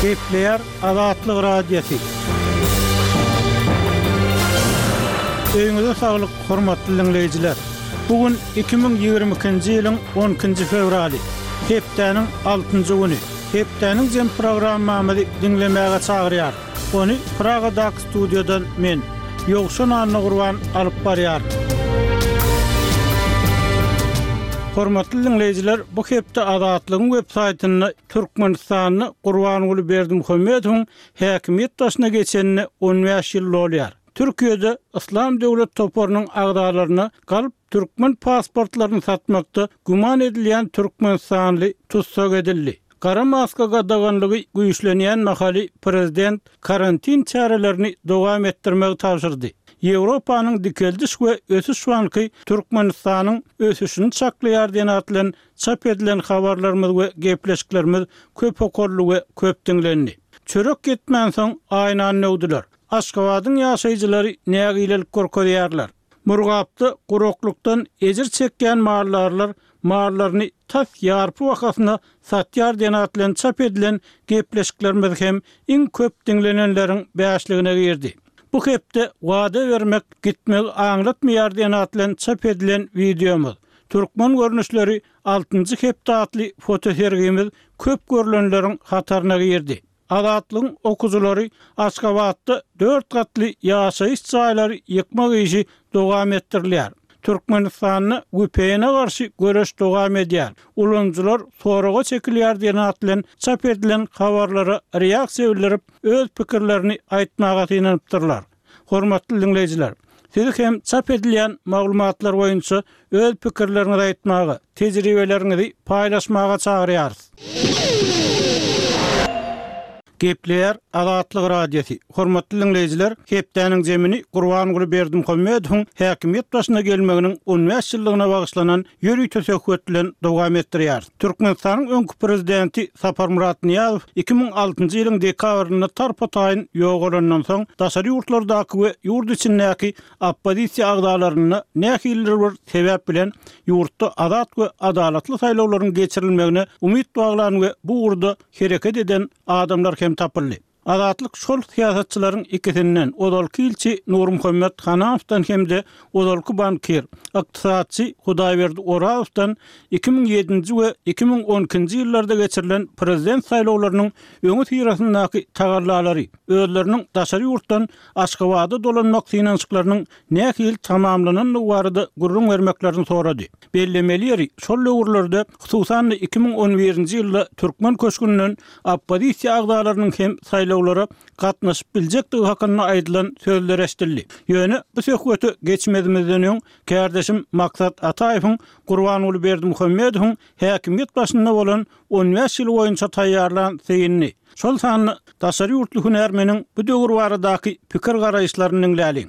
Gepleýär Azatlyk Radiosy. Öýüňize saglyk, hormatly diňleýjiler! Bu gün 2022-nji ýylyň on ikinji fewraly, hepdäniň altynjy güni. Hepdäniň jem programmamyzy diňlemäge çagyrýarys. Ony Pragadaky studiýadan men, Ýowşan Annagurban alyp barýaryn. Hormatly diňleýjiler, bu hepde Azatlygyň web saýtynda Türkmenistanda Gurbanguly Berdimuhamedowyň häkimiýet başyna geçenine 15 ýyl dolýar. Türkiýede Yslam döwlet toparynyň agzalaryna galp türkmen pasportlaryny satmakda güman edilýän türkmenistanly tussag edildi. Gara maska gadaganlygy güýçlenýän mahaly prezident karantin çärelerini dowam etdirmegi tabşyrdy. Ýewropanyň Dikeldiş we ösüş banky Türkmenistanyň ösüşini çaklaýar diýen at bilen çap edilen habarlarymyz we gepleşiklerimiz köp okaldy we köp diňlendi. Çörek ýetmänsoň aýnany döwdüler. Aşgabadyň ýaşaýjylary nägilelik görkezýärler. Murgapda guraklykdan ejir çekýän maldarlar mallaryny tas ýarpy bahasyna satýar diýen at bilen çap edilen gepleşiklerimiz hem iň köp diňlenenleriň bäşligine girdi. Bu hepde wada bermek gitmegi aňlatmaýar diýen at bilen çap edilen wideomyz, Türkmen görnüşleri altynjy hepde atly fotosergimiz köp görlenleriň hataryna girdi. Azatlygyň okyjylary Aşgabatda dört gatly ýaşaýyş jaýlary ýykmak işi dowam etdirilýär. Türkmenistanda VPN-e garşy göreş dowam edýär. Ulanyjylar soraga çekilýär diýen at bilen çap edilen habarlara reaksiýa bildirip, öz pikirlerini aýtmaga synanypdyrlar. Hormatly diňleýjiler, sizi hem çap edilýän maglumatlar boýunça öz pikirleriňizi aýtmaga, tejribeleriňizi paýlaşmaga çagyrýarys. Gepleýär Azatlyk Radiosy, Hormatly diňleýjiler, hepdäniň jemini Gurbanguly Berdimuhamedowyň häkimiýet başyna gelmeginiň 15 ýyllygyna bagyşlanan ýörite söhbet bilen dowam etdirýäris. Türkmenistanyň öňki prezidenti Saparmyrat Nyýazow 2006-njy ýylyň dekabrynda tarpa-taýyn ýogalandan soň, daşary ýurtlardaky we ýurt içindäki oppozisiýa agzalarynda nähilidir bir sebäp bilen ýurtda azat we adalatly saýlawlaryň geçirilmegine umyt baglan we bu ugurda hereket eden adamlar hem tapyldy. Azatlyk şol syýasatçylaryň ikisinden, ozalky ilçi Nurmuhammet Hananowdan hem-de ozalky bankir, ykdysatçy Hudaýberdi Orazowdan 2007-nji we 2012-nji ýyllarda geçirilen prezident saýlawlarynyň öňüsyrasyndaky tagallalary, özleriniň daşary ýurtdan Aşgabada dolanmak synanyşyklarynyň nähili tamamlanandygy barada gürrüň bermeklerini sorady. Bellemeli ýeri, şol döwürlerde, hususan-da 2011-nji ýylda türkmen köşgünden oppozisiýa agzalarynyň hem saýlawlara gatnaşyp biljekdigi hakynda aýdylan sözler eşidildi. Ýöne bu söhbete geçmezimizden öň, kärdeşim Maksat Ataýewiň Gurbanguly Berdimuhamedowyň häkimiýet başynda bolan 15 ýyly boýunça taýýarlan synyny, şol sanda daşary ýurtly hünärmeniň bu döwür baradaky pikir-garaýyşlaryny diňläliň.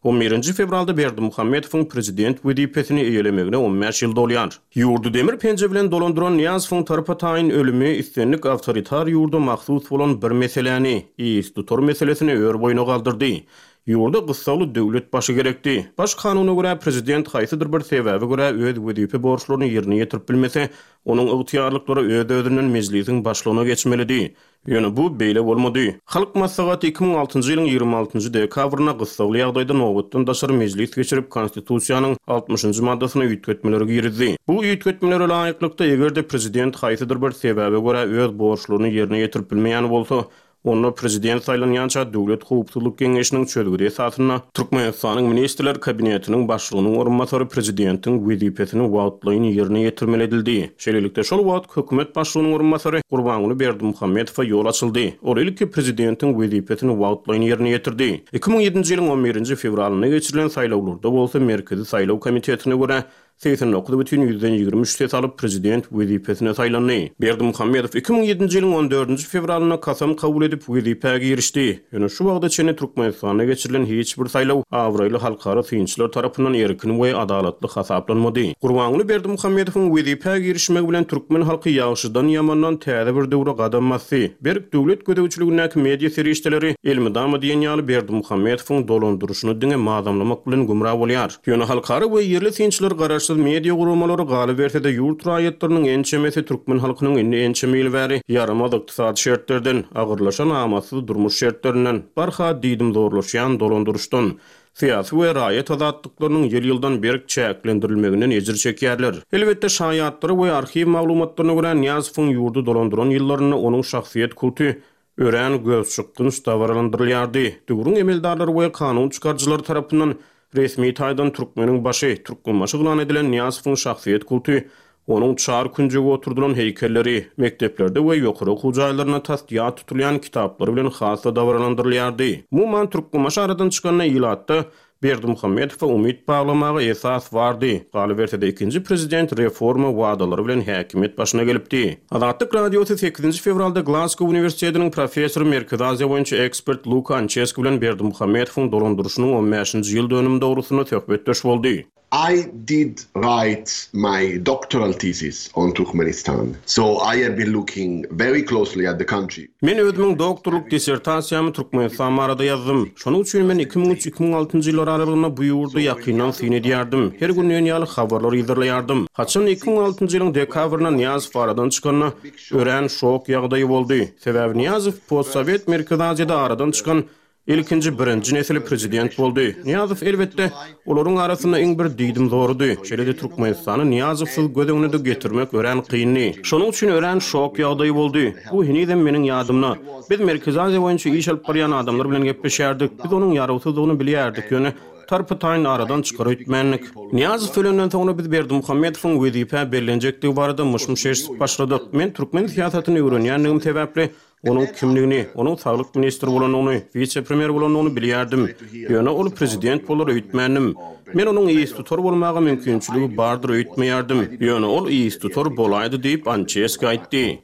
On birinji fewralda Berdimuhamedowyň prezident wezipesini eýelemegine on bäş ýyl dolýar. Ýurdy demir penje bilen dolandyran Nyýazowyň tarpa-taýyn ölümi islendik awtoritar ýurda mahsus bolan bir meseläni, istutar meselesini ör-boýuna galdyrdy. Ýurda gyssagly döwlet başy gerekdi. Baş kanuna görä, prezident haýsydyr bir sebäbe görä öz wezipe borçlaryny ýerine ýetirip bilmese, onuň ygtyýarlyklary öz-özünden Mejlisiň başlygyna geçmelidi. Ýöne bu beýle bolmady. Halk Maslahaty 2006-njy ýylyň 26-njy dekabrynda gyssagly ýagdaýda nobatdan daşary mejlis geçirip, Konstitusiýanyň altmyşynjy maddasyna üýtgetmeleri girizdi. Bu üýtgetmelere laýyklykda, eger-de prezident haýsydyr bir sebäbe görä öz borçlaryny ýerine ýetirip bilmeýän bolsa, Onda prezident saýlanýança Döwlet howpsuzlyk geňeşiniň çözgüdi esasynda Türkmenistanyň Ministrler Kabinetiniň Başlygynyň orunbasary prezidentiň wezipesini wagtlaýyn ýerine ýetirmeli edildi. Şeýlelikde, şol wagt hökümet başlygynyň orunbasary Gurbanguly Berdimuhamedowa ýol açyldy. Ol ilki prezidentiň wezipesini wagtlaýyn ýerine ýetirdi. 2007-nji ýylyň on birinji fewralynda geçirilen saýlawlarda bolsa Merkezi saýlaw komitetine görä, 89,23 ses alyp, prezident wezipesine saýlandy. Berdimuhamedow 2007-nji ýylyň on dördünji fewralynda kasam kabul edip, wezipä girişdi. Ýöne şu wagta çenli Türkmenistanda geçirilen hiç bir saýlaw abraýly halkara synçylar tarapyndan erkin we adalatly hasaplanmady. Gurbanguly Berdimuhamedowyň wezipä girişmegi bilen türkmen halky ýagşydan-ýamandan täze bir döwre gadam basdy. Berk döwlet gözegçiligindäki media serişdeleri elmydama diýen ýaly Berdimuhamedowyň dolandyryşyny diňe mazamlamak bilen gümra bolýar. Ýöne halkara we ýerli synçylar garaşsyz. Garaşsyz media guramalary, galyberse-de ýurt raýatlarynyň ençemesi türkmen halkynyň indi ençeme ýyl bäri ýaramaz ykdysady şertlerden, agyrlaşan amatsyz durmuş şertlerinden, barha diýdimzorlaşýan dolandyryşdan, syýasy we raýat azatlyklarynyň ýyl-ýyldan berk çäklendirilmeginden ejir çekýärler. Elbetde, şaýatlara we arhiw maglumatlaryna görä, Nyýazowyň ýurdy dolandyran ýyllarynda onuň şahsyýet kulty örän gözçykgynç dabaralandyrylýardy. Döwrüň emeldarlary we kanun çykaryjylary tarapyndan resmi taýdan türkmeniň başy, Türkmenbaşy yglan edilen Nyýazowyň şahsyýet kulty, onuň çar künjege oturdylan heýkelleri, mekdeplerde we ýokary okuw jaýlarynda tas ýat tutulýan kitaplary bilen has-da dabaralandyrylýardy. Umuman, Türkmenbaşy aradan çykanda ilatda Berdimuhamedowa umyt baglamaga esas bardy, galyberse-de ikinji prezident reforma wadalary bilen häkimiýet başyna gelipdi. Azatlyk Radiosy sekizinji fewralda Glasgow uniwersitetiniň professory, Merkezi Aziýa boýunça ekspert Luka Ançeski bilen Berdimuhamedowyň dolandyryşynyň on bäşinji ýyl dönümi dogrusynda söhbetdeş boldy. I did write my doctoral thesis on Turkmenistan, so I have been looking very closely at the country. Men özümiň doktorlyk dissertasiýamy Türkmenistan barada ýazdym. Şonuň üçin men 2003, 2006-njy ýyllar aralygynda bu ýurda ýakyndan syn edýärdim. Her gün diýen ýaly habarlar yzarlaýardym. Haçan-da 2006-njy ýylyň dekabrynda Nyýazow aradan çykanda, örän şok ýagdaýy boldy. Sebäbi Nyýazow postsowet Merkezi Aziýada aradan çykan Ilkinji birinji nesil prezident boldy. Nyýazow elbetde, olaryň arasynda iň bir diýdimzorudy. Şeýle-de Türkmenistany Nyýazowsyz göz öňüne-de getirmek örän kyndy. Şonuň üçin örän şok ýagdaýy boldy. Bu henizem meniň ýadymda. Biz Merkezi Aziýa boýunça iş alyp barýan adamlar bilen gepleşýärdik. Biz onuň ýarawsyzdygyny bilýärdik, ýöne tarpa-taýyn aradan çykar öýtmändik. Nyýazow ölenden soňra biz Berdimuhamedowyň wezipä bellenjekdigi barada myş-myş eşidip başladyk. Men türkmen syýasatyny öwrenýändigim sebäpli, Onuň kimligini, onuň saglyk ministri bolanyny, wise-premýer bolanyny bilýärdim. Ýöne ol prezident bolar öýtmändim. Men onuň yztutar bolmaga mümkinçiligi bardyr öýtmeýärdim. Ýöne ol yztutar bolaýdy diýip, Ançeski aýtdy.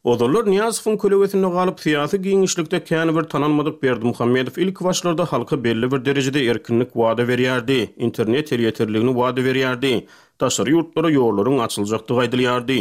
Ozallar Nyýazowyň kölegesinde galyp, syýasy giňişlikde kän bir tanalmadyk Berdimuhamedow ilkibaşlarda halka belli bir derejede erkinlik wada berýärdi, internet elýeterligini wada berýärdi. Daşary ýurtlara ýollaryň açyljakdygy aýdylýardy.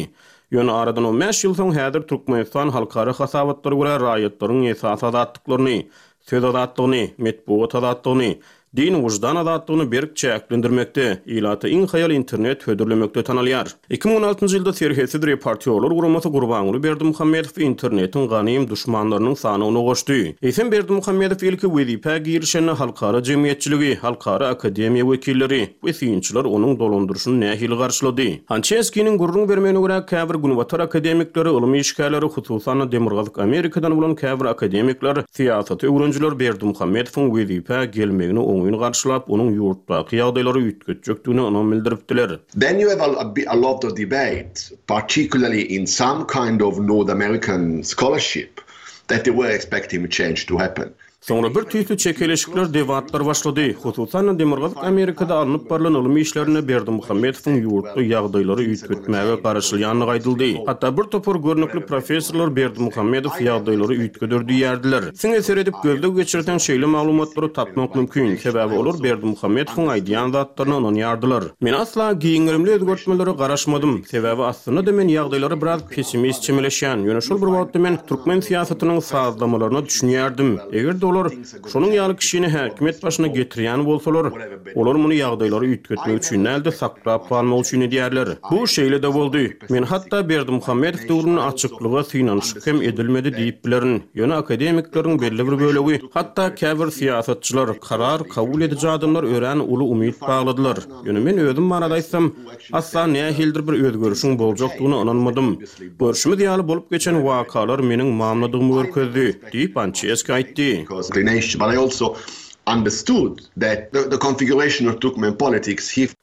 Ýöne aradan on bäş ýyl soň häzir Türkmenistan halkara hasabatlara görä raýatlaryň esasy azatlyklaryny, söz azatlygyny, metbugat azatlygyny, din, wyždan azatlygyny berk çäklendirmekde, ilata iň haýal internet hödürlemekde tanalýar. 2016 njy ýylda Serhetsiz reportýorlar guramasy Gurbanguly Berdimuhamedowy internetiň ganym duşmanlarynyň sanawyna goşdy. Eýsem Berdimuhamedow ilki wezipä girişende halkara jemgyýetçiligi, halkara akademiýa wekilleri, we synçylar onuň dolandyryşyny nähili garşylady? Hançeskiniň gürrüň bermegine görä, käbir günbatar akademikleri, ylym işgärleri, hususan-da Demirgazyk Amerikadan bolan käbir akademikler, syýasaty öwrenijiler Berdimuhamedowyň wezipä gelmegini oňyn garşylap, onuň ýurtdaky ýagdaýlary üýtgetjekdigine ynam bildiripdiler. Then you have a lot of debate, particularly in some kind of North American scholarship, that they were expecting change to happen. Soňra bir tüýsli çekeleşikler, debatlar başlady. Hususan-da, Demirgazyk Amerikada alnyp barlan ylym işlerinde Berdimuhamedowyň ýurtda ýagdaýlary üýtgetmäge garaşylýandygy aýdyldy. Hatda bir topar görnükli professorlar Berdimuhamedow ýagdaýlary üýtgeder diýýärdiler. Siňe seredip gözleg geçirseň şeýle maglumatlary tapmak mümkin, sebäbi olar Berdimuhamedowyň aýdýan zatlaryna ynanýardylar. Men asla giň gerimli özgertmelere garaşmadym, sebäbi aslynda-da men ýagdaýlara biraz pessimist çemeleşýän, ýöne şol bir wagtda men türkmen syýasatynyň sazlamalaryna düşünýärdim. Eger-de olar şonuň ýaly kişini häkimiýet başyna getirýän bolsalar, olar muny ýagdaýlary üýtgetmek üçin däl-de, saklap galmak üçin edýärler. Bu şeýle-de boldy. Men hatda Berdimuhamedow döwründe açyklyga synanyşyk hem edilmedi diýip bilerin. Ýöne akademikleriň belli bir bölegi, hatda käbir syýasatçylar, karar kabul ediji adamlar örän uly umyt bagladylar. Ýöne men özüm barada aýtsam, asla nähilidir bir özgerişiň boljakdygyna ynanmadym. Görşümiz ýaly, bolup geçen wakalar meniň mamladygymy görkezdi, diýip, Ançeski aýtdy.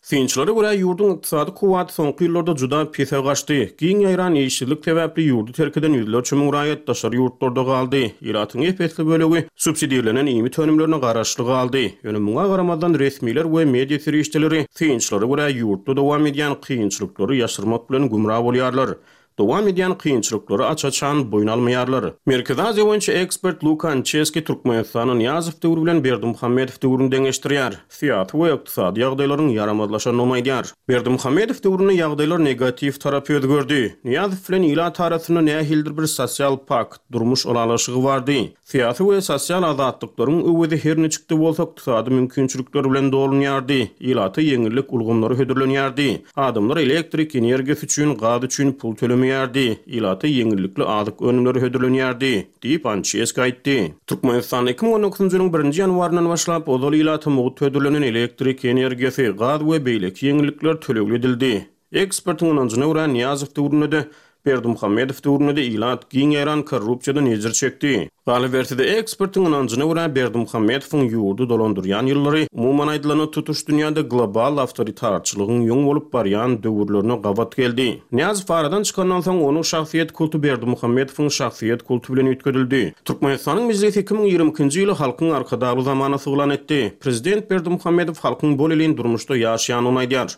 Synçylara görä, ýurduň ykdysady kuwwaty soňky ýyllarda juda pese gaçdy. Giň ýaýran işsizlik sebäpli ýurdy terk eden ýüzlerçe müň raýat daşary ýurtlarda galdy. Ilatyň ep-esli bölegi subsidirlenen iýmit önümlerine garaşly galdy. Ýöne muňa garamazdan, resmiler we media serişdeleri, synçylara görä, ýurtda dowam edýän kynçylyklary ýaşyrmak bilen gümra bolýarlar. Dowam edýän kynçylyklary aç-açan boýun almaýarlar. Merkezi Aziýa boýunça ekspert Luka Ançeski Türkmenistany Nyýazow döwri bilen Berdimuhamedow döwrüni deňeşdirýär. Syýasy we ykdysady ýagdaýlaryň ýaramazlaşandygyny aýdýar. Berdimuhamedow döwründe ýagdaýlar negatiw tarapa özgerdi. Nyýazow bilen ilat arasynda nähilidir bir sosial pakt, durmuş ylalaşygy bardy. Syýasy we sosial azatlyklaryň öwezi her niçik-de bolsa ykdysady mümkinçilikler bilen dolunýardy, ilata ýeňillik ulgamlary hödürlenýärdi. Adamlar elektrik energiýasy üçin, gaz üçin pul tölemeýärdi, ilata ýeňillikli azyk önümleri hödürlenýärdi, diýip, Ançeski aýtdy. Türkmenistanda 2019-njy ýylyň birinji ýanwaryndan başlap, ozal ilata mugt hödürlenen elektrik energiýasy, gaz we beýleki ýeňillikler tölegli edildi. Ekspertiň ynanjyna görä, Nyýazow döwründe-de, Berdimuhamedow döwründe-de ilat giň ýaýran korrupsiýadan ejir çekdi. Galyberse-de, ekspertiň ynanjyna görä, Berdimuhamedowyň ýurdy dolandyrýan ýyllary, umuman aýdylanda, tutuş dünýäde global awtoritarçylygyň ýoň bolup barýan döwürlerine gabat geldi. Nyýazow aradan çykandan soň, onuň şahsyýet kulty Berdimuhamedowyň şahsyýet kulty bilen üýtgedildi. Türkmenistanyň Mejlisi 2022-nji ýyly Halkyň Arkadagly zamanasy yglan etdi. Prezident Berdimuhamedow halkyň bolelin durmuşda ýaşaýandygyny aýdýar.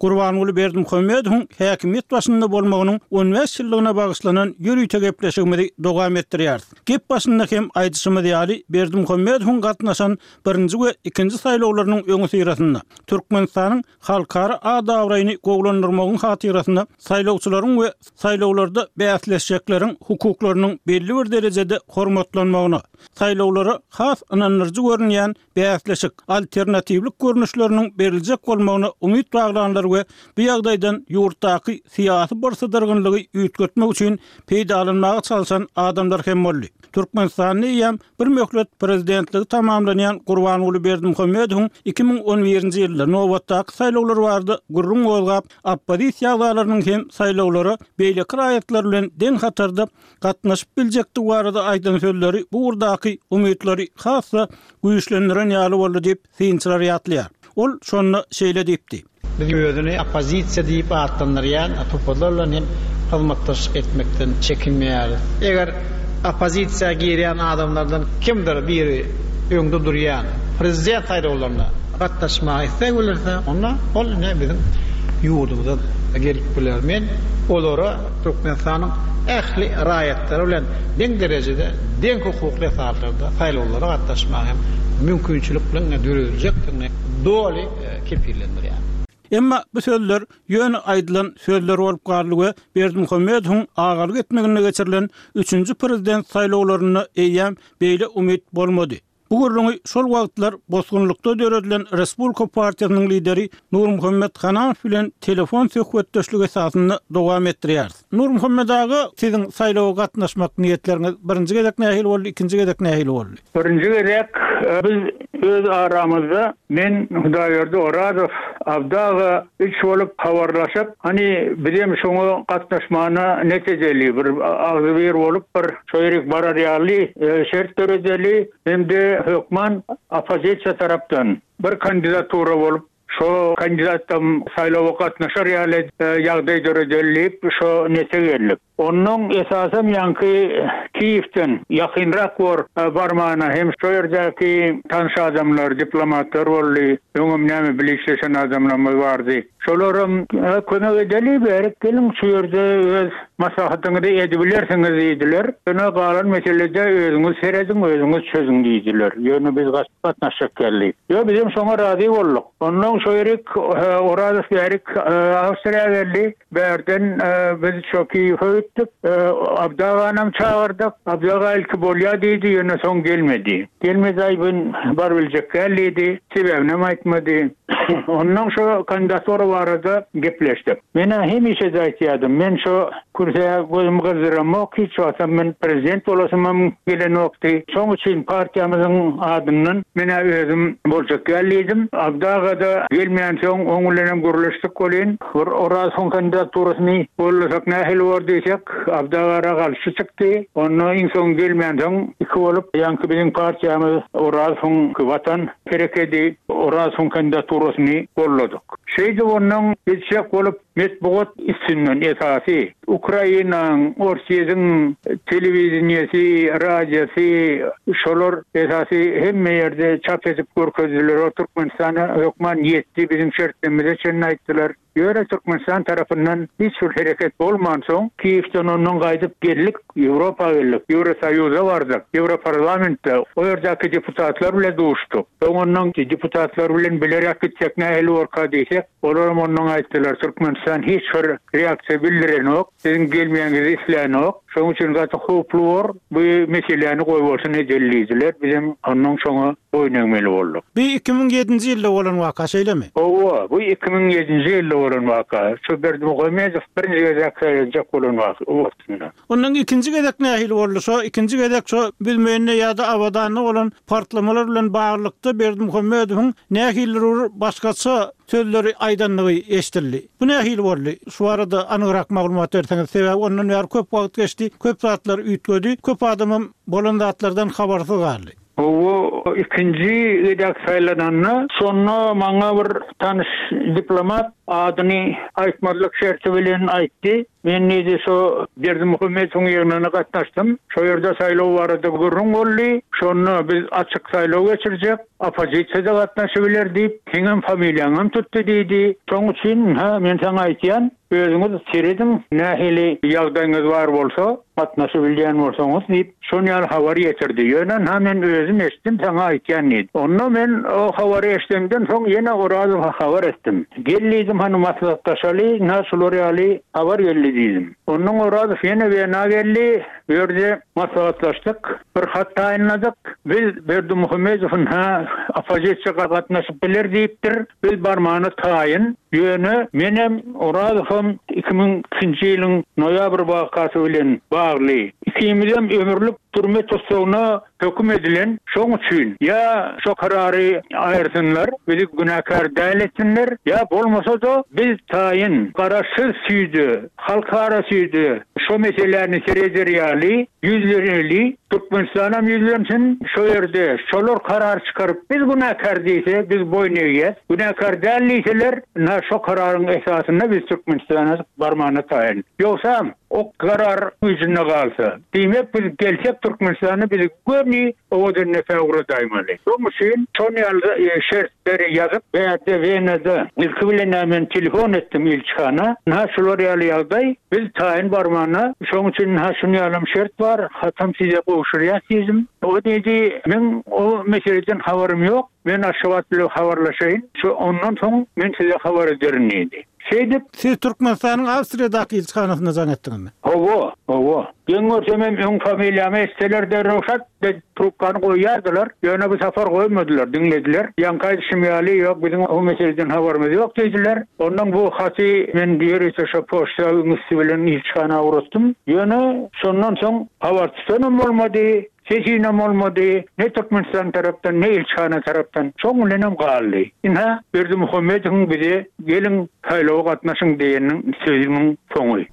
Gurbanguly Berdimuhamedowyň häkimiýet başynda bolmagynyň on bäş ýyllygyna bagyşlanan ýörite gepleşigimizi dowam etdirýäris. Gep başynda hem aýdyşymyz ýaly, Berdimuhamedowyň gatnaşan birinji we ikinji saýlawlarynyň öňüsyrasynda Türkmenistanyň halkara at-abraýyny gowulandyrmagyň hatyrasyna saýlawçylaryň we saýlawlarda bäsleşjekleriň hukuklarynyň belli bir derejede hormatlanmagyna, saýlawlara has ynandyryjy görünýän bäsleşik, alternatiwlik görnüşleriniň beriljek bolmagyna umyt baglanlar we bu ýagdaýdan ýurtdaky syýasy birsydyrgynlygy üýtgetmek üçin peýdalanmaga çalşan adamlar hem boldy. Türkmenistanda eýýäm bir möhlet prezidentligi tamamlanýan Gurbanguly Berdimuhamedowyň 2011-nji ýylda nobatdaky saýlawlar barada gürrüň gozgap, oppozisiýa agzalarynyň hem saýlawlara beýleki raýatlar bilen deň hatarda gatnaşyp biljekdigi barada aýdan sözleri bu ugurdaky umytlary has-da güýçlendiren ýaly boldy diýip, synçylar ýatlaýar. Ol şonda şeýle diýipdi. Biz özüni oppozisiýa diýip atlandyrýan toparlar bilen hem hyzmatdaşlyk etmekden çekinmeýäris. Eger oppozisiýa girýän adamlardan kimdir biri öňde durýan prezident saýlawlaryna gatnaşmaga isleg bildirse, onda ol ine biziň ýurdumyza gelip biler. Men olara Türkmenistanyň ähli raýatlary bilen deň derejede, deň hukukly esaslarda saýlawlara gatnaşmaga hem mümkinçilikleriň dörediljekdigini doly kepillendirýär. Emma bu sözler ýöne aýdylan sözler bolup galdy we Berdimuhamedowyň agalyk etmeginde geçirilen üçünji prezident saýlawlarynda eýýäm beýle umyt bolmady. Bu gürrüňi şol wagtlar bosgunlykda döredilen Respublika partiýasynyň lideri Nurmuhammet Hananow bilen telefon söhbetdeşligi esasynda dowam etdirýäris. Nurmuhammet aga, siziň saýlawa gatnaşmak niýetleriňiz birinji gezek nähili boldy, ikinji gezek nähili boldy? Birinji gezek biz öz aramyzda men, Hudaýberdi Orazow, Abdy aga üç bolup habarlaşyp, hany bizem şoňa gatnaşmana net edeli, bir agzybir bolup bir şo ýerik barar ýaly şert döredeli hem-de hökman oppozisiýa tarapdan bir kandidatura bolup, şo kandidatam saýlawa gatnaşar ýaly ýagdaý döredeli diýip şo nete geldik. Onnoň esasam ýaňky Kiýewden ýakynrak bor barmana hem şo ýerdäki tanyş adamlar, diplomatlar boldy. Öňem näme bile işleşen adamlarymyz bardy. Şolaram kömek edeli bärik geliň şu ýerde öz maslahatyňyzy edibilersiňiz diýdiler. Ýöne galan meselede özüňiz serediň, özüňiz çözüň diýdiler. Ýöne biz gatnaşjak geldik. Ýo bizem şoňa razy bolduk. Onnoň şo ýerik Orazow bärik Awstriýa geldi. Bärden biz şo Kiýewe gitdik. Abdy aganam çagyrdyk. Abdy aga ilki bolýa diýdi, ýöne soň gelmedi. Gelmedi, aý ben barybiljek däl diýdi. Sebäbinem aýtmady. Onnoň şo kandidatura barada gepleşdik. Men-ä hemişe-de aýtýardym, men şo kürsä gözümi gyzdyramok, hiç wagtam men prezident bolasymam gelenokdy. Şoň üçin partiýamyzyň adyndan men-ä özüm boljak däl diýdim. Abdy aga-da gelmänsoň, oň bilenem gürleşdik welin, Bir Orazowyň kandidaturasyny gollasak nähili bor diýsek, Abdy agara garşy çykdy. Onda iň soň gelmänsoň iki bolup, ýaňky biziň partiýamyz Orazowyň Watan herekedi Orazowyň kandidaturasyny golladyk. Şeýdip onnoň gitjek bolup. Metbugat üstünden esasy Ukrainaň, Orsýetiň telewideniýesi, radiosy şolar esasy hemme ýerde çap edip görkezdiler. O Türkmenistana hökman ýetdi, biziň şertlerimize çenli aýtdylar. Ýöne Türkmenistan tarapyndan hiç bir hereket bolmansoň, Kiýewden ondan gaýdyp geldik, Ýewropa geldik, Ýewrosoýuza bardyk, Ýewroparlamentde o ýerdäki deputatlar bilen duşduk. Soň ondan deputatlar bilen bileräk gitsek nähili borka diýsek, Olaram ondan aýtdylar, Türkmenistan hiç bir reaksiýa bildirenok, siziň gelmegiňizi islänok, şonuň üçin gaty howply bor, bu meseläni goýbolsun edeli diýdiler, bizem ondan şoňa boýun egmeli bolduk. Bu 2007-nji ýylda bolan waka, şeýlemi? Hawa, bu 2007-nji ýylda bolan waka, şu Berdimuhamedow birinji gezek saýlanjak bolan wagtynda. Ondan ikinji gezek nähili boldy? Şo ikinji gezek şo Büzmeýinde ýa-da Abadanda bolan partlamalar bilen baglylykda Berdimuhamedowyň nähilidir bir başgaça sözleri aýdandygy eşidildi. Bu nähili boldy? Şu barada anygrak maglumat berseňiz, sebäbi ondan bäri köp wagt geçdi, köp zatlar üýtgedi, köp adamam bolan zatlardan habarsyz galdy. Hawa, ikinji gezek saýlananda, şonda maňa bir tanyş diplomat adyny aýtmazlyk şerti bilen aýtdy. Men diýdi, şo Berdimuhamedowyň ýygnagyna gatnaşdym. Şo ýerde saýlaw barada gürrüň boldy. Şonda biz açyk saýlaw geçirjek, oppozisiýa-da gatnaşybiler diýip, seňem familiýaňam tutdy diýdi. Şoň üçin, ynha, men saňa aýtýan, özüňiz serediň, nähili ýagdaýyňyz bar bolsa, gatnaşybilýän bolsaňyz diýip, Şon ýaly habar ýetirdi. Ýöne ynha men özüm eşitdim, saňa aýtýan diýdi. Onda men o habary eşidemden soň ýene Orazowa habar etdim. Gel diýdim, hany maslahatlaşaly, ynha şular ýaly habar geldi diýdim. Ondan Orazow ýene Wena geldi, bu ýerde maslahatlaşdyk, bir hat taýynladyk. Biz Berdimuhamedow ynha oppozisiýa gatnaşyp biler diýipdir, biz barmana taýyn. Ýöne menem, Orazowam 2002-nji ýylyň noýabr wakasy bilen bagly. Ikimizem ömürlik türme tussagyna höküm edilen, şoň üçin ýa şo karary aýyrsynlar, bizi günäkär däl etsinler, ýa bolmasa-da biz taýyn garaşsyz süýde, halkara süýde şo meseläni sereder ýaly ýüzleneli, Türkmenistanam ýüzlensin, şo ýerde şolar karar çykaryp biz günäkär diýse biz boýun egýäs, günäkär däl diýseler ynha şo kararyň esasynda biz Türkmenistana barmana taýyn. Ýogsam o karar güýjünde galsa, diýmek biz gelsek Türkmenistana bizi göni Owadandepä ugradaýmaly. Şoň üçin şon ýaly şertleri ýazyp bärde Wenada ilki bilen-ä men telefon etdim ilçihana, ynha şular ýaly ýagdaý, biz taýyn barmana, şoň üçin ynha şun ýalam şert bar, hatam size gowşurýas diýdim. O diýdi, meň o meseleden habarym ýok, men Aşgabat bilen habarlaşaýyn, şo ondan soň men size habar ederin diýdi. Şeýdip. Siz Türkmenistanyň Awstriýadaky ilçihanasyna jaň etdiňizmi? Hawa, hawa. Geň görsemem öň familiýamy eşitseler derrew şat edip trubkany goýýardylar. Ýöne bu sapar goýmadylar, diňlediler. Ýaňky aýdyşym ýaly, ýok, biziň o meseleden habarymyz ýok diýdiler. Ondan bu haty men ýörite şo poçta üsti bilen ilçihana ugratdym. Ýöne şondan soň habar tutanam bolmady. Sesinem bolmady, ne Türkmenistan tarapdan, ne ilçihana tarapdan. Şoň bilenem galdy. Ynha, Berdimuhamedowyň bize geliň, saýlawa gatnaşyň diýeniniň sözüniň soňy.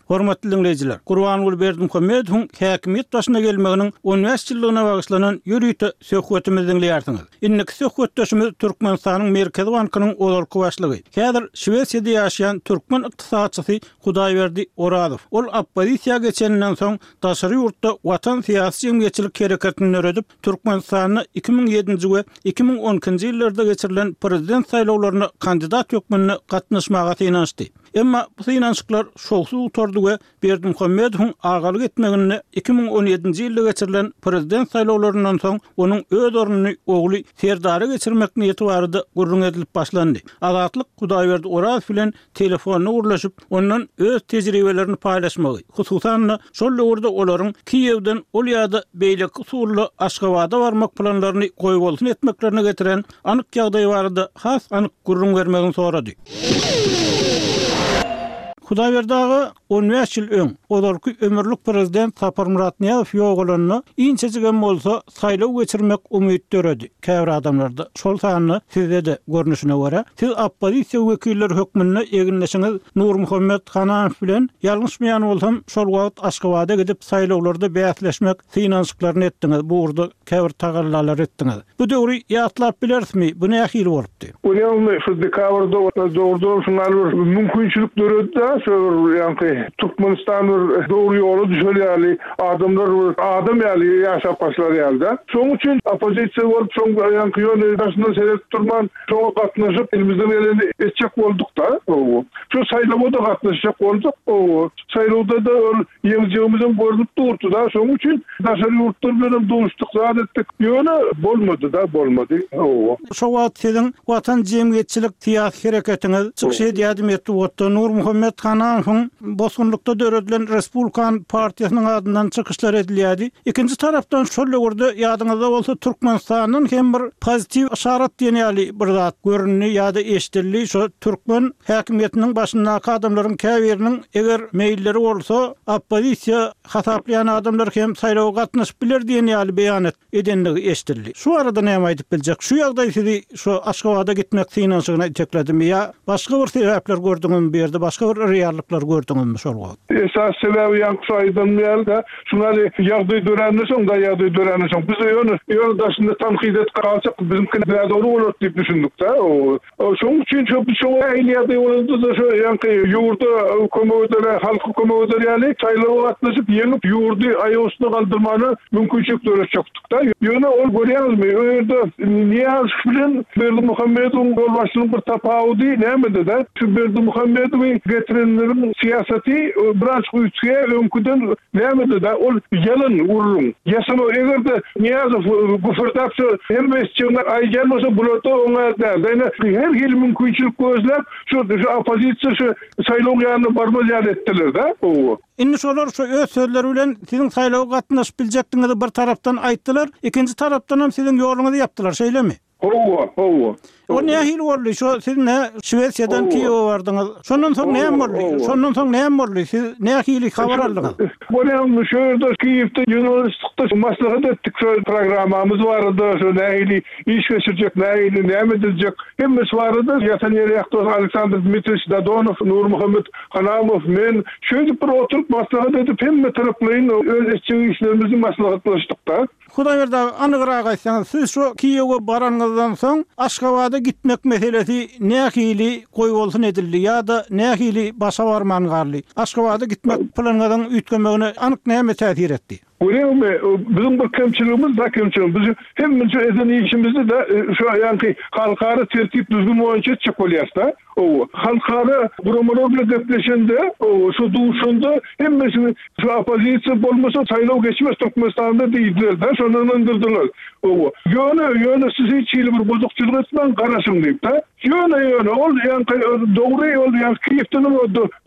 Hormatly diňleýjiler, Gurbanguly Berdimuhamedowyň häkimiýet başyna gelmeginiň on bäş ýyllygyna bagyşlanan ýörite söhbetimizi diňleýärsiňiz. Indiki söhbetdeşimiz Türkmenistanyň Merkezi bankynyň ozalky başlygy, häzir Şwesiýada ýaşaýan türkmen ykdysatçysy Hudaýberdi Orazow. Ol oppozisiýa geçeninden soň daşary ýurtda Watan syýasy-jemgyýetçilik hereketini döredip, Türkmenistanda 2007-nji we 2012-nji ýyllarda geçirilen prezident saýlawlaryna kandidat hökmünde gatnaşmaga synanyşdy. Emma bu synanyşyklar şowsuz gutardy we Berdimuhamedowyň agalyk etmeginde 2017-nji ýylda geçirilen prezident saýlawlaryndan soň onuň öz ornuny ogly Serdara geçirmek niýeti barada gürrüň edilip başlandy. Azatlyk Hudaýberdi Orazow bilen telefonda gürleşip, ondan öz tejribelerini paýlaşmagy, hususan-da, şol döwürde olaryň Kiýewden ol ýa-da beýleki usulda Aşgabada barmak planlaryny goýbolsun etmeklerine getiren anyk ýagdaý barada has anyk gürrüň bermegini sorady. Hudaýberdi aga, on bäş ýyl öň, ozalky ömürlik prezident Saparmyrat Nyýazow ýogalanda, inçejigem bolsa, saýlaw geçirmek umyt döredi käbir adamlarda, şol sanda sizde-de, görnüşine görä. Siz oppozisiýa wekilleri hökmünde egindeşiňiz Nurmuhammet Hananow bilen, ýalňyşmaýan bolsam, şol wagt Aşgabada gidip saýlawlarda bäsleşmek synanyşyklaryny etdiňiz, bu ugurda käbir tagallalary etdiňiz. Bu döwri ýatlap bilerismi, bu nähili bolupdy? Görýäňizmi, şu dekabrda dogrudanam şuňa bir mümkinçilik döredi-de, şo bir ýaňky Türkmenistan bir dogry ýola düşer ýaly, adamlar bir adam ýaly ýaşap başlar ýaly-da. Şonuň üçin oppozisiýa bolup, şoň ýaňky ýöne daşyndan seredip durman, şoňa gatnaşyp, elimizden geleni etjek bolduk-da. Şu saýlawa-da gatnaşjak bolduk. Saýlawda-da ol Ýeňjegimizem görnüp durdy-da, şonuň üçin daşary ýurtlar bilenem duşduk, zat etdik. Ýöne bolmady-da, bolmady. Hawa. Şo wagt siziň Watan jemgyýetçilik syýasy hereketiňiz çykyş edýärdi metbugatda. Nurmuhammet Hananowyň bosgunlykda döredilen Respublikan partiýasynyň adyndan çykyşlar edilýärdi. Ikinji tarapdan şol döwürde ýadyňyzda bolsa Türkmenistandan hem bir pozitiw yşarat diýen ýaly bir zat göründi ýa-da eşidildi. Şo türkmen häkimiýetiniň başyndaky adamlaryň käbiriniň eger meýilleri bolsa, oppozisiýa hasaplaýan adamlar hem saýlawa gatnaşyp biler diýen ýaly beýanat edendigi eşidildi. Şu barada näme aýdyp biljek? Şu ýagdaý sizi şu Aşgabada gitmek synanyşygyna itekledimi ýa başga bir sebäpler gördüňizmi bu ýerde, başga bir reallyklar gördüňizmi şol wagt? Esasy sebäbi ýaňky şu aýdanym ýaly-da, şuň ýaly ýagdaý döränden soň-da, ýagdaý döränden soň, biz ýöne, ýöne daşynda tankyt edip galsak, biziňki nädogry bolar diýip düşündik-de. Şonuň üçin şo biz şoňa nähili ýagdaý bolanda-da şo ýaňky ýurda kömek eder, halka kömek eder ýaly saýlawa gatnaşyp ýeňip ýurdy aýak üstüne galdyrmana mümkinçilik döretjekdik-de. Ýöne ol görýäňizmi, o ýerde Nyýazow bilen Berdimuhamedowyň ýolbaşçylygyň bir tapawudy nämede-de, şu Berdimuhamedowy getirenleriň syýasaty birazjyk üýtgeýär öňküden nämede-de, ol ýalan gürrüň, ýasama eger-de Nyýazow güpürdäp şu hemme etjegini aýdýan bolsa bularda oňa däl. Ýöne her hili mümkinçilik gözläp şu şu oppozisiýa şu saýlawyň ýanyna barmaz ýaly etdiler-dä. Hawa. Indi şolar şu öz sözleri bilen siziň saýlawa gatnaşyp biljekdigiňizi bir tarapdan aýtdylar, ikinji tarapdanam siziň ýoluňyzy ýapdylar, şeýlemi? Hawa, hawa. O nähili boldy? Şo siz nä Şwesiýadan Kiýewe bardyňyz. Şondan soň näme boldy? Şondan soň näme boldy? Siz nähili habar aldyňyz? Bolýamy, şo ýerde Kiýewde ýygnanyşdykda maslahat etdik şo programmamyz barada, şo nähili iş geçirjek, nähili näme ediljek, hemmesi barada ýatan ýeri ýakdy Aleksandr Dmitriýewiç Dadonow, Nurmuhammet Hanamow, men şeýdip bir oturyp maslahat edip hemme taraplaýyn öz etjek işlerimizi maslahatlaşdykda. Hudaýberdi aga, anygrak aýtsaňyz, siz şo Kiýewe baranyňyzdan soň Aşgabada gitmek meselesi nähili goýbolsun edildi ýa-da nähili başa barman galdy? Aşgabada gitmek planyňyzyň üýtgemegine anyk näme täsir etdi? Görýäňmi, biziň bir kemçiligimiz da kemçiligimiz, biz hemmeje eden işimizi-de şo ýaňky halkara tertip-düzgün boýunça etjek bolýas-da. Hawa, halkara guramalar bilen gepleşende, hawa, şu duşanda hemmesini şu oppozisiýa bolmasa saýlaw geçmez Türkmenistanda diýdiler-de, şonda ynandyrdylar. Hawa, ýöne, ýöne siz hiç hili bir bozukçylyk etmäň, garaşyň diýip-de. Ýöne, ýöne ol ýaňky dogry ol ýaňky Kiýewdenem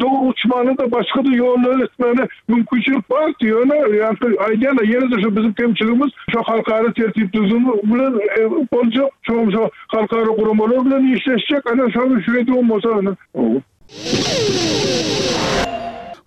dogry uçmana-da başga-da ýollar etmäne Mümkinçilik bardy, ýöne ýaňky aýdýan-a, ýene-de şu biziň kemçiligimiz şo halkara tertip-düzgün bilen boljak, şoňam şo halkara guramalar bilen işleşjek, ana şony şeýdibem bolsa ana.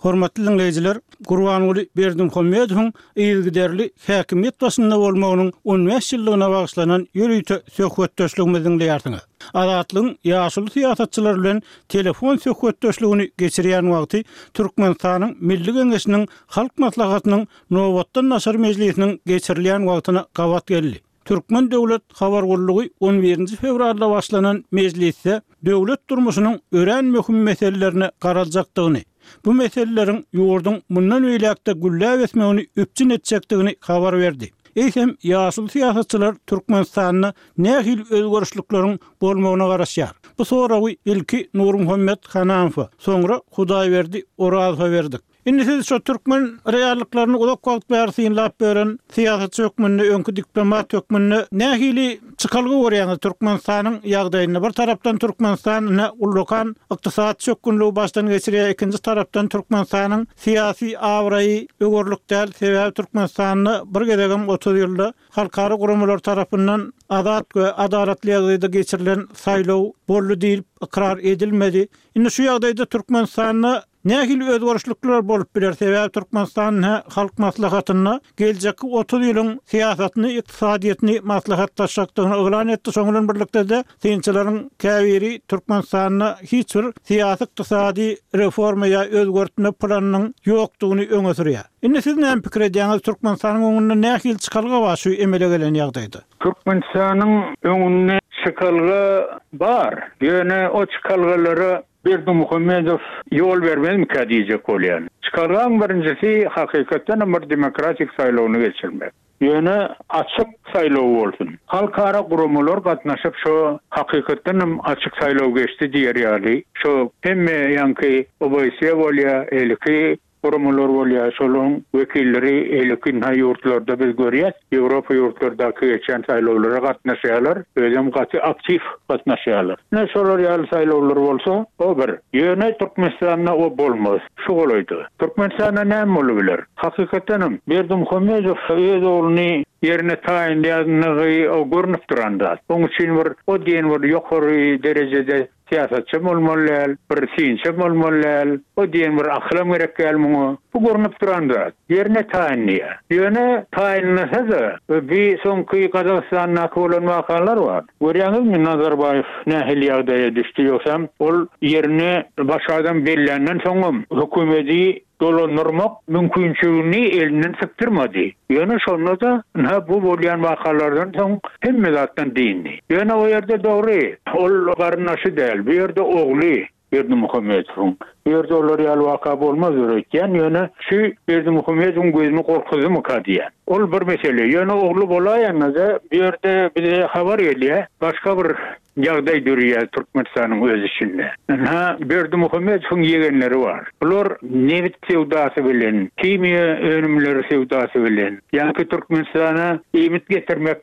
Hormatly diňleýjiler, Gurbanguly Berdimuhamedowyň yzygiderli häkimiýet başynda bolmagynyň on bäş ýyllygyna bagyşlanan ýörite söhbetdeşligimizi diňleýärsiňiz. Azatlygyň ýaşuly syýasatçylary bilen telefon söhbetdeşligini geçirýän wagty Türkmenistanyň Milli Geňeşiniň Halk Maslahatynyň nobatdan daşary mejlisiniň geçirilýän wagtyna gabat geldi. Türkmen döwlet habar gullugy on birinji fewralda başlanan mejlisde döwlet durmuşynyň örän möhüm meselelerine garaljakdygyny, bu meseleleriň ýurduň mundan beýläk-de gülläp ösmegini üpjün etjekdigini habar berdi. Eýsem, ýaşuly syýasatçylar Türkmenistanda nähili özgerişlikleriň bolmagyna garaşýar? Bu soragy ilki Nurmuhammet Hanamowa, soňra Hudaýberdi Orazowa berdik. Indi siz şo türkmen reallyklaryny uzak wagt bäri synlap ýören syýasatçy hökmünde, öňki diplomat hökmünde nähili çykalga görýäňiz Türkmenistanyň ýagdaýynda? Bir tarapdan Türkmenistan ine ullakan ykdysady çökgünligi başdan geçirýär, ikinji tarapdan Türkmenistanyň syýasy abraýy öwerlik däl, sebäbi Türkmenistanda bir gezegem 30 ýylda halkara guramalar tarapyndan azat we adalatly ýagdaýda geçirilen saýlaw boldy diýlip ykrar edilmedi. Indi şu ýagdaýda Türkmenistanda. Nähili özgerişlikler bolup biler, sebäbi Türkmenistan ine Halk Maslahatynda geljekki 30 ýylyň syýasatyny, ykdysadyýetini maslahatlaşjakdygyny yglan etdi, şonuň bilen birlikde-de synçylaryň käbiri Türkmenistanda hiç bir syýasy-ykdysady reforma ýa özgertme planynyň ýokdugyny öňe sürýär. Indi siz näme pikir edýäňiz, Türkmenistanyň öňünde nähili çykalga bar şu emele gelen ýagdaýda? Türkmenistanyň öňünde çykalga bar, ýöne o çykalgalara Berdimuhamedow ýol bermezmikä diýjek bolýan. Çykalgaň birinjisi hakykatdanam bir demokratik saýlawyny geçirmek. Ýöne açyk saýlaw bolsun. Halkara guramalar gatnaşyp şo hakykatdanam açyk saýlaw geçdi diýer ýaly şo hemme ýaňky OBSE bolýa eliki guramalar bolýa şolaň wekilleri eliki ynha ýurtlarda biz görýäs Ýewropa ýurtlardaky geçýän saýlawlara gatnaşýalar özem gaty aktiw gatnaşýalar. Ine şolar ýaly saýlawlar bolsa o bir. Ýöne Türkmenistanda o bolmaz. Şu golaýda. Türkmenistanda näme bolubiler? Hakykatdanam, Berdimuhamedow öz ogluny ýerine taýynlaýandygy o görnüp duran zat. Oň üçin bir o diýen bir ýokary derejede syýasatçam bolmaly däl, bir synçam bolmaly däl, o diýen bir akylam gerek däl muňa. Bu görnüp duran zat. Ýerine taýynlaýar. Ýöne taýynlasa-da, bi soňky Gazagystandaky bolan wakalar bar. Görýäňizmi, Nazarbaýew nähili ýagdaýa düşdi, ýogsam ol ýerine başga adam belländen soňam hökümedi dolandyrmak mümkinçiligini elinden sypdyrmady. Ýöne şonda-da, ynha, bu bolýan wakalardan soň hemme zatdan dyndy. Ýöne o ýerde dogry, ol garyndaşy däl, bu ýerde ogly Berdimuhamedowyň. Bu ýerde olar ýaly waka bolmazdyr öýtýän, ýöne şu Berdimuhamedowyň gözüni gorkuzdymyka diýýän. Ol bir mesele. Ýöne ogly bolaýanda-da, bu ýerde bize habar gelýär, başga bir ýagdaý döreýär Türkmenistanyň öz içinde. Ynha, Berdimuhamedowyň ýegenleri bar. Bular nebit söwdasy bilen, himiýa önümleri söwdasy bilen, ýaňky Türkmenistana iýmit getirmek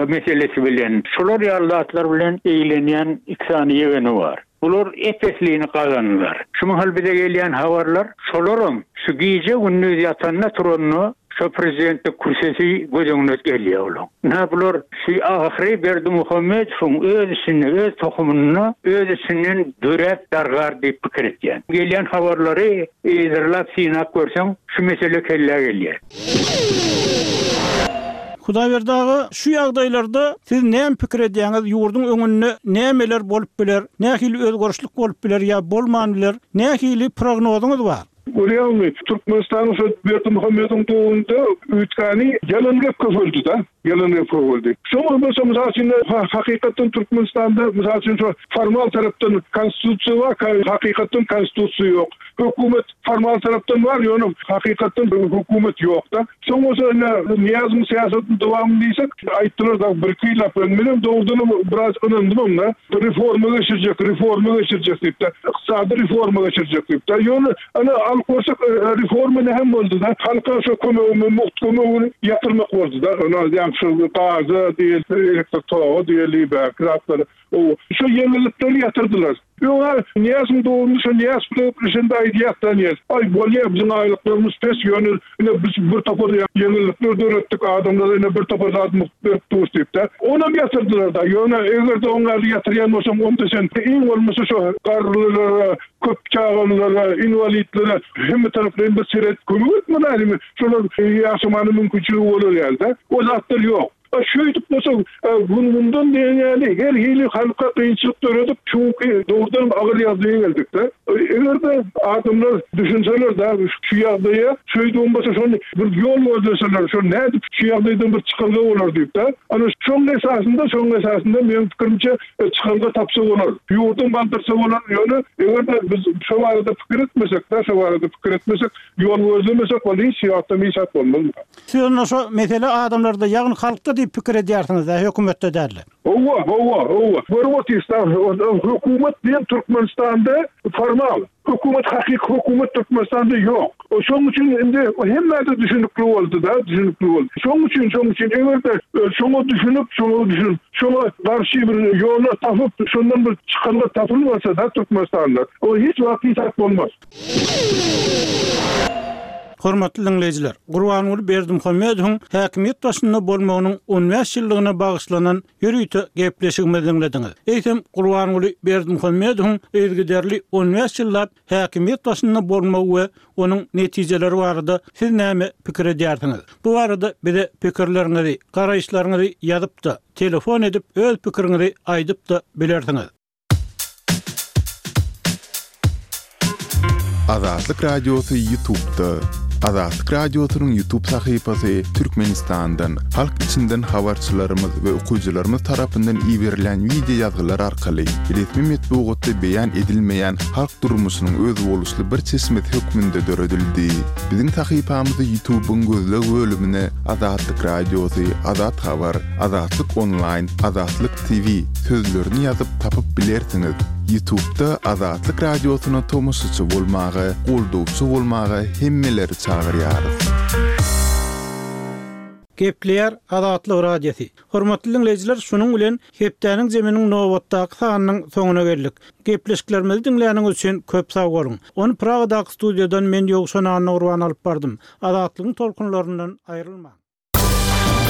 meselesi bilen, şular ýaly zatlar bilen eglenýän iki sany ýegeni bar. Bular ep-eslini gazandylar. Şu mahal bize gelýän habarlar, şolaram şu gije-gündiz ýatanda-turanda şo prezidentlik kürsüsi göz öňüne gelýär olaň. Ynha bular şu ahyry Berdimuhamedowyň öz içinde, öz tohumynda öz içinden döräp dargar diýip pikir etýän. Gelýän habarlary yzarlap synap görseň şu mesele kellä gelýär. Hudaýberdi aga, şu ýagdaýlarda siz näme pikir edýäňiz, ýurduň öňünde nämeler bolup biler, nähili özgerişlik bolup biler ýa bolman biler, nähili prognozyňyz bar? Görýäňmi, Türkmenistanyň şo Berdimuhamedowyň döwründe üýtgäni ýalan gep köpeldi-de, ýalan gep köpeldi. Şoňa bolsa mysal üçin hakykatdan Türkmenistanda mysal üçin şo formal tarapdan konstitusiýa bar, hakykatdan konstitusiýa ýok. Hökümet Formal tarapdan bar, ýöne hakykatdan hökümet ýok-da. Soň bolsa ine Nyýazowyň syýasatynyň dowamy diýsek, aýtdylar dagy birki ýyllap bilen. Menem dogrudanam biraz ynandymam-da. Reforma geçirjek, reforma geçirjek diýip-de, ykdysady reforma geçirjek diýip-de. Ýöne ine alyp görsek reforma näme boldy-da? Halka şo kömegini, mugt kömegini ýatyrmak boldy-da. Ine ýaňky şo gaza diýeli, elektrik toga diýeli, bärki zatlary. Şo ýeňillikleri ýatyrdylar. Öň-ä Nyýazowyň döwründe şo Nyýazow bilen gepleşende aýdýardy Nyýazow, Aý, bolýa, biziň aýlyklarymyz pes, ýöne ine biz bir topar ýeňillikler döretdik, adamlara ine bir topar zat mugt berip durus diýip-de. Onam ýatyrdylar-da. Ýöne eger-de oň ýaly ýatyrýan bolsaň, onda sen iň bolmasa şo garrylara, köp çagalylara, inwalidlere hemme taraplaýyn bir seret, kömek etmeli älimi, şolar ýaşamana mümkinçiligi bolar ýaly-da. O zatlar ýok. A şeýdip bolsa, gün-günden diýen ýaly her hili halka kynçylyk döredip, şu günki dogrudanam agyr ýagdaýa geldik-de. Eger-de adamlar düşünseler-de şu ýagdaýa, şeýdibem bolsa şony bir ýol gözleseler, şo nädip şu ýagdaýdan bir çykalga bolar diýip-de. Ana şoň esasynda, şoň esasynda meň pikirimçe çykalga tapsa bolar. Ýurdam galdyrsa bolar. Ýöne eger-de biz şo barada pikir etmesek-de, şo barada pikir etmesek, ýol gözlemesek, ol hiç wagtam hiç zat bolmaz. Siz onda şo mesele adamlarda, ýagny halkda diýip pikir edýärsiňiz-dä, hökümetde däl-de? Hawa, hawa, hawa. Görüp otyrys-da, hökümet diýen Türkmenistanda formal. Hökümet, hakyky hökümet Türkmenistanda ýok. Şonuň üçin indi hemmä-de düşünikli boldy-da, düşünikli boldy. Şonuň üçin, şonuň üçin eger-de şoňa düşünip, şoňa düşünip, şoňa garşy bir ýollar tapyp, şondan bir çykalga tapylmasa-da Türkmenistanda, o hiç wagt hiç zat bolmaz. Hormatly diňleýjiler, Gurbanguly Berdimuhamedowyň häkimiýet başynda bolmagynyň on bäş ýyllygyna bagyşlanan ýörite gepleşigimizi diňlediňiz. Eýsem, Gurbanguly Berdimuhamedowyň yzygiderli on bäş ýyllap häkimiýet başynda bolmagy we onuň netijeleri barada siz näme pikir edýärsiňiz? Bu barada bize pikirleriňizi, garaýyşlaryňyzy ýazyp-da, telefon edip öz pikiriňizi aýdyp-da bilersiňiz. Azatlyk Radiosy Ýutubda. Azatlyk Radiosynyň Ýutub sahypasy Türkmenistandan, halk içinden habarçylarymyz we okyjylarymyz tarapyndan iberilýän wideo ýazgylar arkaly resmi metbugatda beýan edilmeýän halk durmuşynyň özboluşly bir çeşmesi hökmünde döredildi. Biziň sahypamyzy Ýutubyň gözleg bölümine Azatlyk Radiosy, Azat Habar, Azatlyk Onlaýn, Azatlyk TV sözlerini ýazyp tapyp bilersiňiz. Ýutubda Azatlyk Radiosyna tomaşaçy bolmaga, goldawçy bolmaga hemmeleri çagyrýarys. Gepleýär Azatlyk Radiosy. Hormatly diňleýjiler şunuň bilen hepdäniň jeminiň nobatdaky sanynyň soňuna geldik. Gepleşiklerimizi diňläniňiz üçin köp sag boluň. Ony Pragadaky studiýadan men Ýowşan Annagurban alyp bardym. Azatlygyň tolkunlaryndan aýrylmaň.